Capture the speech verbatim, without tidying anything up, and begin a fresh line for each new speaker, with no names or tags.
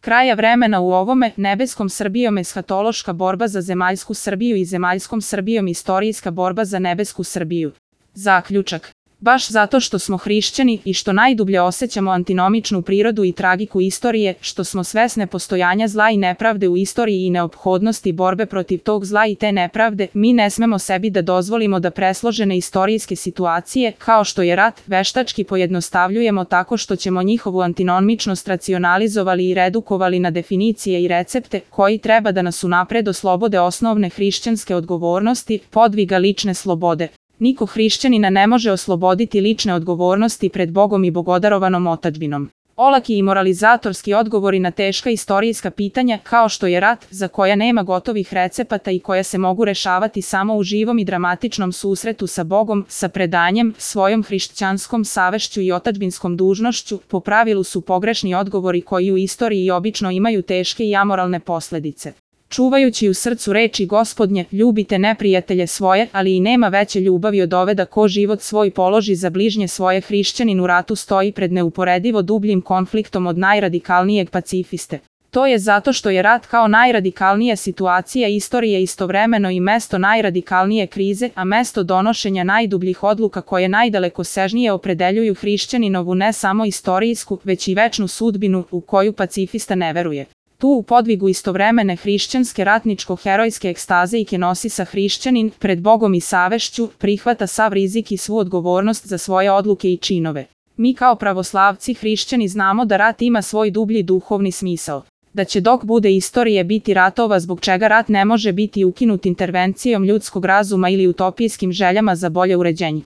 kraja vremena u ovome nebeskom Srbijom eshatološka borba za zemaljsku Srbiju i zemaljskom Srbijom istorijska borba za nebesku Srbiju. Zaključak. Baš zato što smo hrišćani i što najdublje osjećamo antinomičnu prirodu i tragiku istorije, što smo svesne postojanja zla i nepravde u istoriji i neophodnosti borbe protiv tog zla i te nepravde, mi ne smemo sebi da dozvolimo da presložene istorijske situacije, kao što je rat, veštački pojednostavljujemo tako što ćemo njihovu antinomičnost racionalizovali i redukovali na definicije i recepte, koji treba da nas unapred oslobode osnovne hrišćanske odgovornosti, podviga lične slobode. Niko hrišćanina ne može osloboditi lične odgovornosti pred Bogom i bogodarovanom otadžbinom. Olaki i moralizatorski odgovori na teška istorijska pitanja, kao što je rat, za koja nema gotovih recepata i koja se mogu rešavati samo u živom i dramatičnom susretu sa Bogom, sa predanjem, svojom hrišćanskom savešću i otadžbinskom dužnošću, po pravilu su pogrešni odgovori koji u istoriji obično imaju teške i amoralne posledice. Čuvajući u srcu reči Gospodnje, ljubite neprijatelje svoje, ali i nema veće ljubavi od ove da ko život svoj položi za bližnje svoje, hrišćanin u ratu stoji pred neuporedivo dubljim konfliktom od najradikalnijeg pacifiste. To je zato što je rat kao najradikalnija situacija istorije istovremeno i mesto najradikalnije krize, a mesto donošenja najdubljih odluka koje najdalekosežnije opredeljuju hrišćaninovu ne samo istorijsku, već i večnu sudbinu u koju pacifista ne veruje. Tu u podvigu istovremene hrišćanske ratničko-herojske ekstaze i kenosisa hrišćanin, pred Bogom i savešću, prihvata sav rizik i svu odgovornost za svoje odluke i činove. Mi kao pravoslavci hrišćani znamo da rat ima svoj dublji duhovni smisao. Da će dok bude istorije biti ratova zbog čega rat ne može biti ukinut intervencijom ljudskog razuma ili utopijskim željama za bolje uređenje.